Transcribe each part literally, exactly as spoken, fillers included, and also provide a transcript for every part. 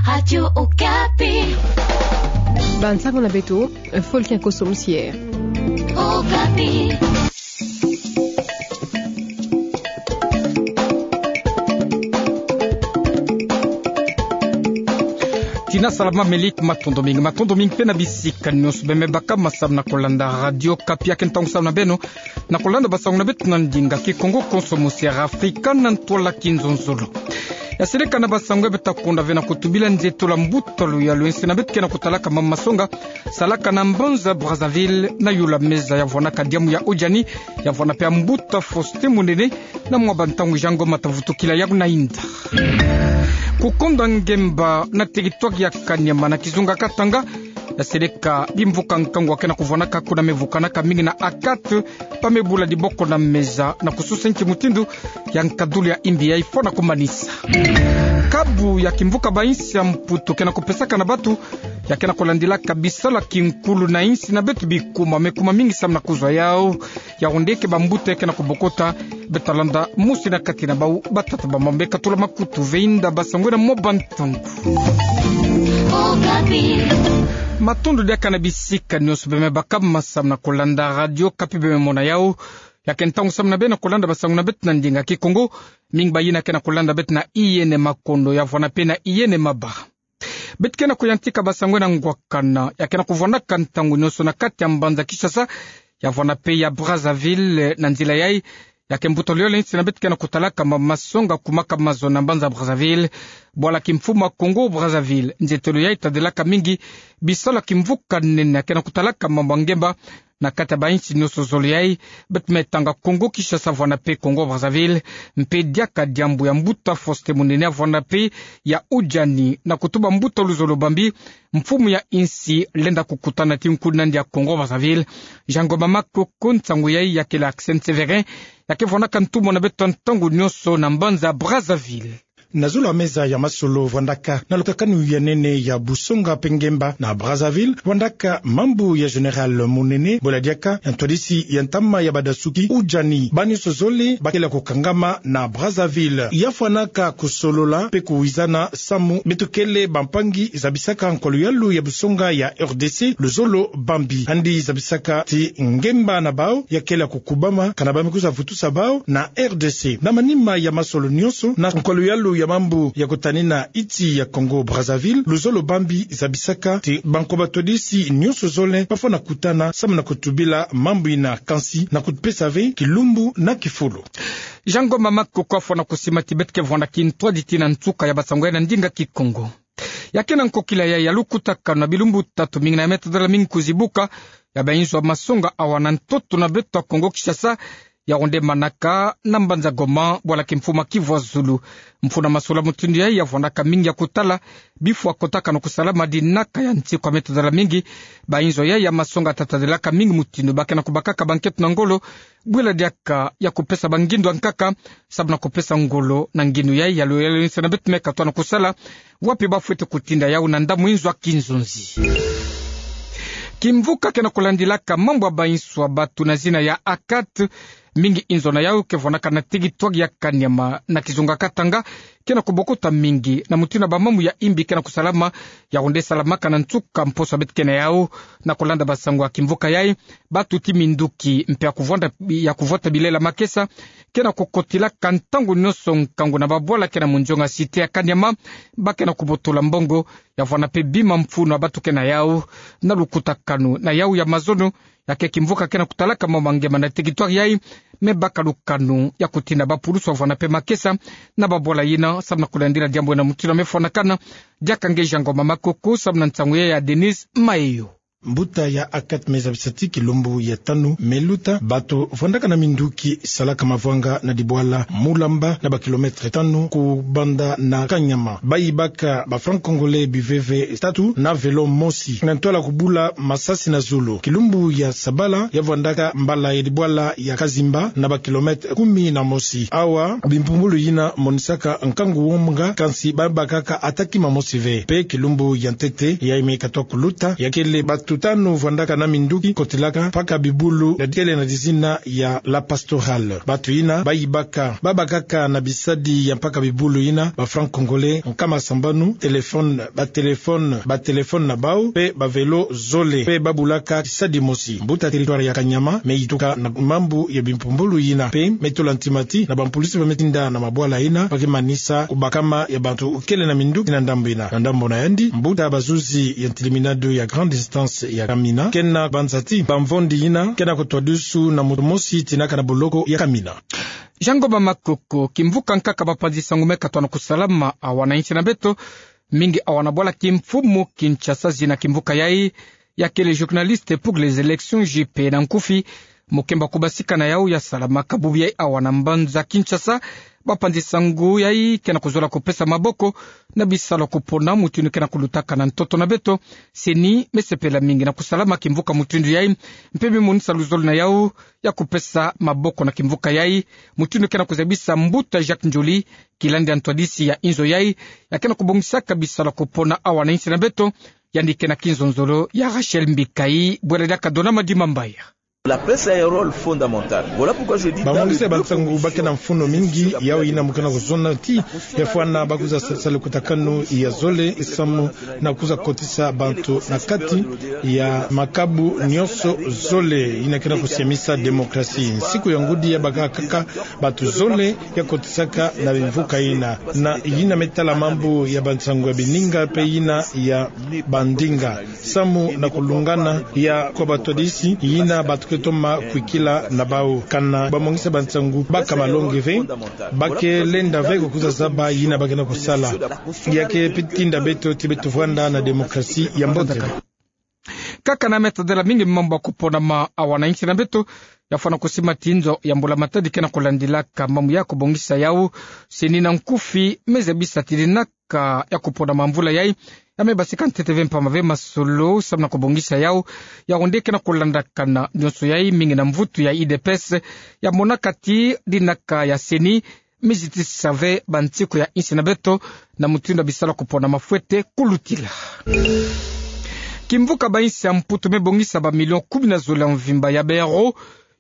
Radio Okapi. Bansango na beto, Folkin Koso Musier. Okapi. Tina salama, Melik, matondo mingi, matondo mingi pe na bisika nyonso beme baka masamu na kolanda Radio Okapi. Ya ke ntangu samu na beno na kolanda basango na beto na ndinga Kikongo, Konso Musier Afrika na ntwala Kinzonzolo. Ya seleka na basango ya beto ta konda ve na kutubila nzietolo ya mbuta luyalu ya nsi na beto ke na kutalaka mambu masonga salaka na mbanza Brazzaville, na yula meza ya vwanaka diambu ya Odjani, ya vwana pe ya mbuta Faustin Munene, na mwa bantangu Jean Ngoma ta vutukila yaku na inda. Kukonda ngemba na teritware ya Kaniama na kizunga Katanga, ya seleka bimvuka nkangu ya ke na kuvwanaka kuna, mevukanaka mingi na ACAT, pa mebula diboko na meza na kususa nki mutindu ya nkadulu ya imbi ya ifwana kumanisa. Kabu ya kimvuka bansi ya Mputu ke na kupesaka na batu, ya ke na kulandilaka bisalu ya kinkulu na insi na beto bikuma, mekuma mingi samu na kuzwa yau. Yaoundé ke bambuta ya ke na kubokota. Beto ta landa mosi na kati na bau batata ba mambu me katula makutu ve inda basango na mwa bantangu. Matondo diaka na bisika nyonso beme baka masamu na kolanda Radio Okapi, beme mona yau. Ya ke ntangu samu na beno na kolanda basango na beto na ndinga Kikongo. Mingi bayina ke na kolanda beto na Iyene Makondo, ya vwana pe na Iyene Maba. Beto ke na kuyantika basango na ngwakana ya ke na kuvwanaka ntangu nyonso na kati ya mbanza Kinshasa, ya vwana pe ya Brazzaville. Na nzila yai, ya ke mbuta luyalu ya nsi na beto ke na kutalaka mambu masonga kumaka mazono na mbanza Brazzaville, bwala kimfumu ya Congo Brazzaville. Nzietolo yai tadilaka mingi bisalu ya kimvuka nene ya ke na kutalaka mambu ya ngemba na kati ya bansi nyonso zole yai. Beto me tanga Congo Kinshasa vwana pe Congo Brazzaville, mpe diaka diambu ya mbuta Faustin Munene ya vwana pe ya Odjani, na kutuba mbuta luzolo bambi, mfumu ya insi lenda kukutana ti nkuni na yandi ya Congo Brazzaville, Jean Ngoma Makoko. Nsangu yai ya kele Axel Severin, ya ke vwanaka ntumwa na beto ntangu nyonso na mbanza Brazzaville. Na zolo ya meza ya masolo vwandaka na lutakanu ya nene ya busonga mpe ngemba na Brazzaville, vwandaka mambu ya Général Munene, bwela diaka ya ntwadisi ya ntama ya badasuki Odjani. Banyonso zole bakele kukangama na Brazzaville, ya fwanaka kusolola mpe kuwizana samu beto kele bampangi zabisaka nkwa luyalu ya busonga ya R D C, luzolo bambi. Yandi zabisaka ti ngemba na bau ya kele kukubama kana ba me kwiza vutusa bau na R D C. Na manima ya masolo nyonso na nkwa luyalu ya mambu ya kutanina insi ya Congo Brazzaville, luzolo bambi zabisaka ti bankwa batwadisi nyonso zole bafwana kutana samu na kutubila mambu yina, kansi na kupesa ve kilumbu na kifulu. Jean Ngoma Makoko afwana kusima ti beto ke vwanda kintwadi tii na nsuka ya basango yai na ndinga Kikongo. Ya ke na nkokila yai ya lukutakanu, na bilumbu tatu mingi na ya meta dala mingi kuzibuka ya bainzo ya masonga awa na ntoto na beto ya Congo Kinshasa, yaoundé manaka na mbanza Goma, bwala kimfumu ya Kivu ya Zulu. Mfunu ya masolo ya mutindu yai ya vwandaka mingi ya kutala bifwa kotakanu kusalama dinaka ya nsiku ya meta dala mingi. Bainzo yai ya masonga ta tadilaka mingi mutindu ba ke na kubakaka bankento na ngolo, bwela diaka ya kupesa bangindu ya nkaka, samu na kupesa ngolo na ngindu yai ya luyalu ya nsi na beto me katwa na kusala, wapi bafwete kutinda yau na ndambu inzo ya kinzonzi. Kimvuka ke na kulandilaka mambu ya bainzo ya batu na zina ya ACAT, mingi inzo na yau ke vwanaka na teritware ya Kaniama na kizunga Katanga, ke na kubokota mingi na mutindu ya bamambu ya imbi ke na kusalama, yaoundé salamaka na nsuka mposo ya beto ke na yau. Na kulanda basango ya kimvuka yai, batu ti minduki mpe ya kuvwanda, ya kuvwata bilela makesa ke na kukotilaka ntangu nyonso nkangu na babwala ke na munzionga cité ya Kaniama, ba ke na kubotola mbongo ya vwanda mpe bima mfunu ya batu ke na yau. Na lukutakanu na yau ya mazono, ya ke kimvuka ke na kutalaka mambu ya ngemba na teritware yai, me baka lukanu ya kutinda bapulusu ya vwanda mpe makesa na babwala yina, samu na kulandila diambu yina mutindu ya me fwanakana. Diaka nge Jean Ngoma Makoko samu na nsangu yai ya Denise Mayo. Mbuta ya ACAT me zabisa ti kilumbu ya tanu me luta, bato vwandaka na minduki salaka mavwanga na dibwala Mulamba, na ba kilomètre tanu kubanda na Kaniama, bayi baka ba francs congolais biveve tatu na vélo mosi, na ntwala kubula masasi na zulu. Kilumbu ya sabala ya vwandaka mbala ya dibwala ya Kazimba, na ba kilomètre kumi na mosi. Awa bimpumbulu yina monisaka nkangu wonga, kansi ba bakaka ata kima mosi ve. Mpe kilumbu ya ntete yai me katwa kuluta, ya kele batu Tanu vwandaka na minduki kotilaka mpaka bibulu ya kele na dizina ya La Pastorale. Bantu yina bayibaka, babakaka na bisadi ya mpaka bibulu yina ba francs congolais nkama sambanu, téléphone, ba téléphone, ba téléphone na bau, pe ba vélo zole, pe babulaka tisadi mosi. Mbuta territoire ya Kanyama me yituka na mambu ya bimpumbulu yina, pe me tula ntima ti na bampulisi ba me tinda na mabwala yina, ba ke manisa kubakama ya bantu kele na minduki na ndambu yina. Na ndambu na yandi, mbuta bazuzi ya ntiliminado ya grande instance ya Kamina ke na banza ti bamvondi yina ke na kutwadisu na muntu mosi tinaka na boloko ya Kamina. Jean Ngoma Makoko. Kimvuka nkaka bapanzi-nsangu me katwa na kusalama awa na insi na beto, mingi awa na bwala kimfumu Kinshasa, zina kimvuka yai ya kele Journalistes pour les élections, J P na nkufi, mukemba kubasika na yau ya salamaka bubu yai awa na mbanza Kinshasa. Bapanzi-nsangu yai ke na kuzola kupesa maboko na bisalu ya kupona mutindu ke na kulutaka na ntoto na beto. CENI me sepela mingi na kusalama kimvuka mutindu yai, mpe me monisa luzolo na yau ya kupesa maboko na kimvuka yai, mutindu ke na kuzabisa mbuta Jacques Ndjoli, kilandi ya ntwadisi ya inzo yai, ya ke na kubongisaka bisalu ya kupona awa na insi na beto. Yandi ke na kinzonzolo ya Rachel Mbikayi, bwela diaka Dona Madimambaya. La presse a un rôle fondamental. Voilà pourquoi je dis, dans le bloc... Bamongisi ya bansangu ba ke na mfunu mingi, yau yina mu ke na kuzona ti ya fwana ba kwiza sadisa lukutakanu ya zole, samu na kwiza kotisa bantu na kati ya makabu nyonso zole yina ke na kusiamisa démocratie. Nsiku ya ngudi ya baka kaka bantu zole ya kotisaka na bimvuka yina, na yina me tala mambu ya bansangu ya bininga mpe yina ya bandinga, samu na kulungana ya kwa batwadisi yina bantu ke toma kwikila na bau. Kana bamongisi ya bansangu baka malongi ve, ba ke lenda ve kukwiza zaba yina ba ke na kusala. Ya ke pe tinda beto ti beto vwanda na démocratie ya mbote. Kaka na me tadela mingi mambu ya kuponama awa na insi na beto, ya fwana kusima ti nzo ya mbula-matadi ke na kulandilaka mambu ya kubongisa yau, CENI na nkufi me zabisa ti dinaka ya kuponama mvula yai, ya me basika ntete ve mpamba ve masolo samu na kubongisa yau. Yau nde ke na kulandakana nyonso yai, mingi na mvutu ya U D P S ya monaka ti dinaka ya CENI me zitisisa ve bansiku ya insi na beto na mutindu ya bisalu ya kuponama fwete kulutila. Kimvuka bainsi ya Mputu me bongisa bamilio kumi na zole ya mvimba ya baeuro,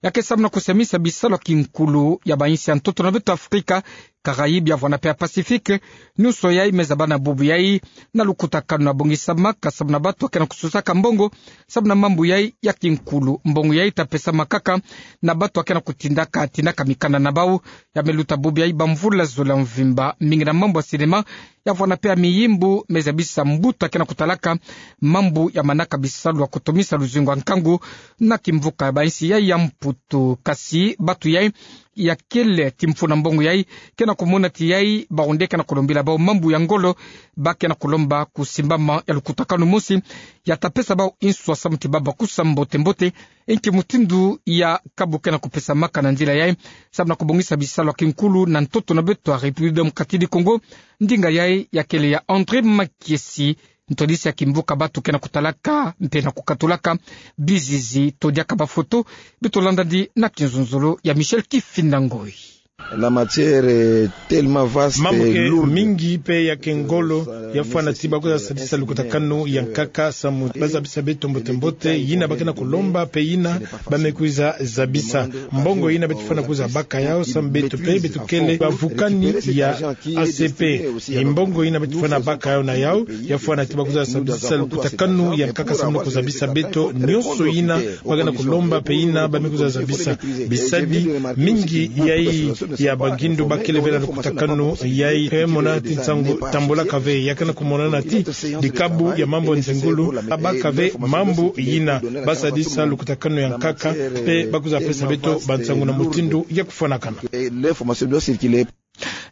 ya ke samu na kusiamisa bisalu ya kinkulu ya bainsi ya ntoto na beto Afrika, Caraïbes, ya vwanda pe ya Pacifique, nyonso yai me zaba na bubu yai na lukutakanu ya bongisamaka samu na bantu ya ke na kususaka mbongo samu na mambu yai ya kinkulu. Mbongo yai ta pesamaka kaka na bantu ya ke na kutindaka, tindaka mikanda na bau. Ya me luta bubu yai bamvula zole ya mvimba, mingi na mambu ya cinéma, ya vwanda pe ya miyimbu me zabisa mbuta ya ke na kutalaka mambu ya manaka bisalu ya kutomisa luzingu ya nkangu na kimvuka ya bainsi yai ya Mputu. Kasi bantu yai ya kele ti mfunu ya mbongo yai ke na kumona ti yai bau nde ke na kulombila bau mambu ya ngolo, ba ke na kulomba kusimbama ya lukutakanu mosi ya ta pesa bau nswa samu ti ba bakusa mbote-mbote inki mutindu ya kabu ke na kupesamaka na nzila yai samu na kubongisa bisalu ya kinkulu na ntoto na beto ya République Démocratique du Congo. Ndinga yai ya kele ya André Makiesi, ntwadisi ya kimvuka bantu ke na kutalaka mpe na kukatulaka bizizi. Todiaka bafoto, beto landa ndi na kinzonzolo ya Michel Kifinda Ngoi. La matière est tellement vaste, mambu ke mingi mpe ya ke ngolo, ya fwana ti ba kwiza sadisa lukutakanu ya nkaka samu ba zabisa beto mbote-mbote yina ba ke na kulomba mpe yina ba me kwiza zabisa. Mbongo yina beto fwana kwiza baka yau samu beto mpe beto kele bavukani ya A C P. Mbongo yina beto fwana baka yau na yau, ya fwana ti ba kwiza sadisa lukutakanu ya nkaka samu na kuzabisa beto nyonso yina ba ke na kulomba mpe yina ba me kwiza zabisa. Bisadi mingi yai ya bangindu ba kele ve na lukutakanu yai, ke mona ti nsangu tambulaka ve, ya ke na kumonana ti dikabu ya mambu nzengulu, ba baka ve mambu yina, ba sadisa lukutakanu ya nkaka, mpe ba kwiza pesa beto bansangu na mutindu ya kufwanakana.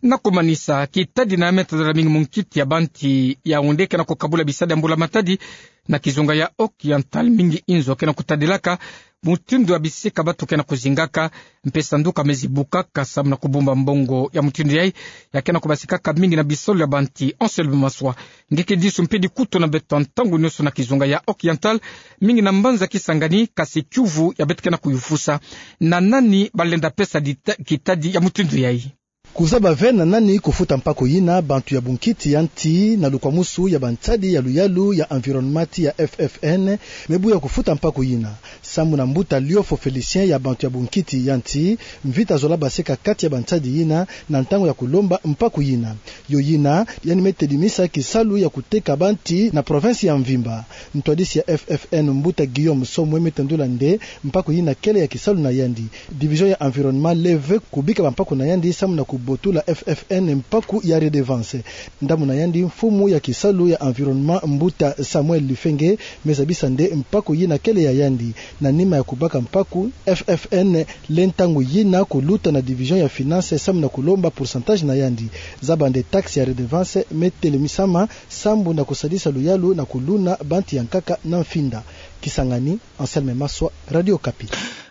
Na kumanisa, kitadi na me tadala mingi munkiti ya banti ya unde ke na kukabula bisadi ya mbula matadi na kizunga ya Occidental, mingi inzo ke na kutadilaka mutindu ya bisika bantu ke na kuzingaka, mpe sanduka me zibukaka samu na kubumba mbongo ya mutindu yai, ya ke na kubasikaka mingi na bisolo ya banti. Anselme Maswa, nge ke disu mpe dikutu na beto ntangu nyonso na kizunga ya Occidental, mingi na mbanza Kisangani, kasi kiuvu ya beto ke na kuyufusa: na nani ba lenda pesa dita-, kitadi ya mutindu yai? Kuzaba ve na nani kufuta mpaku yina, bantu ya bunkiti ya nti na lukwamusu ya bansadi ya luyalu ya environnement ti ya F F N mebuya kufuta mpaku yina. Sambu na mbuta Liofo Félicien ya bantu ya bunkiti ya nti, mvita zola baseka kati ya bansadi yina na ntangu ya kulomba mpaku yina. Yo yina, yandi metedimisa kisalu ya kuteka banti na province ya mvimba. Ntwadisi ya F F N, mbuta Guillaume Somwe, metendula nde mpaku yina kele ya kisalu na yandi. Division ya environnement leve kubika bampaku na yandi samu na kubotula F F N mpaku ya redevance. Ndambu na yandi, mfumu ya kisalu ya environnement, mbuta Samuel Lifenge, mezabisa nde mpaku yina kele ya yandi. Na nima ya kubaka mpaku, F F N le ntangu yina kuluta na division ya finance samu na kulomba pourcentage na yandi. Zaba nde taxe ya redevance metelemisama sambu na kusadisa luyalu na kuluna banti ya nkaka na mfinda. Kisangani, Anselme Maswa, Radio Okapi.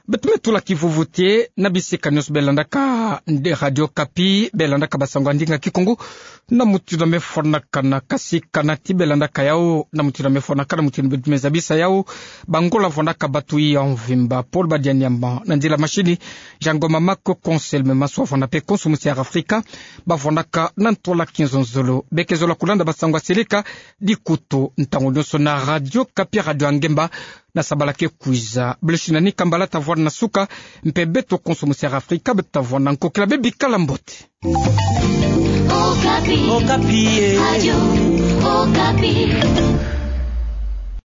Beto me tula kivuvu ti na bisika nyonso belandaka nde Radio Okapi, belandaka basango ya ndinga Kikongo, na mutindu mefwanakana, kasi kana ti belandaka yau na mutindu mefwanakana, mutindu mezabisa yau, bangola vandaka batu ya mvimba, Paul Badianyama, na nzila machine, Jean Ngoma Mako, Anselme Maswa, vanda mpe konso musi ya Afrika, bavandaka na ntwala kinzonzolo. Beke zola kulanda basango ya seleka dikutu ntangu nyonso na Radio Okapi, radio ya ngemba, na sabala ke kwiza. Blessing Nani Kambala tavwanda na suka, mpe beto konso musi ya Afrika beto tavwanda nkokila, bebikala mbote. Okapi. Okapi, eh. Radio Okapi.